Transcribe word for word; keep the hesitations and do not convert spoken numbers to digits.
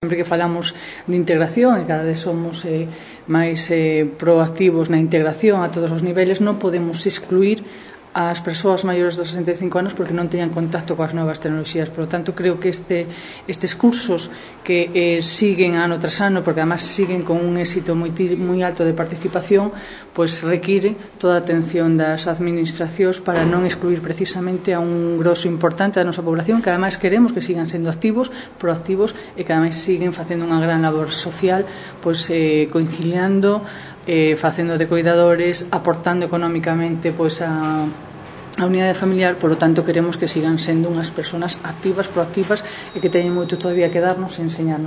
Sempre que falamos de integración e cada vez somos eh, máis eh, proactivos na integración a todos os niveles, non podemos excluir as persoas maiores dos sesenta e cinco anos porque non teñan contacto coas novas tecnoloxías. Por lo tanto, creo que este, estes cursos que eh, siguen ano tras ano, porque además siguen con un éxito moi, moi alto de participación, pois require toda a atención das administracións para non excluir precisamente a un grosso importante da nosa población, que además queremos que sigan sendo activos, proactivos e que además siguen facendo unha gran labor social, pois eh, conciliando, eh, facendo de cuidadores, aportando económicamente pois a a unidade familiar. Por lo tanto, queremos que sigan sendo unhas persoas activas, proactivas e que teñen moito todavía que darnos e enseñarnos.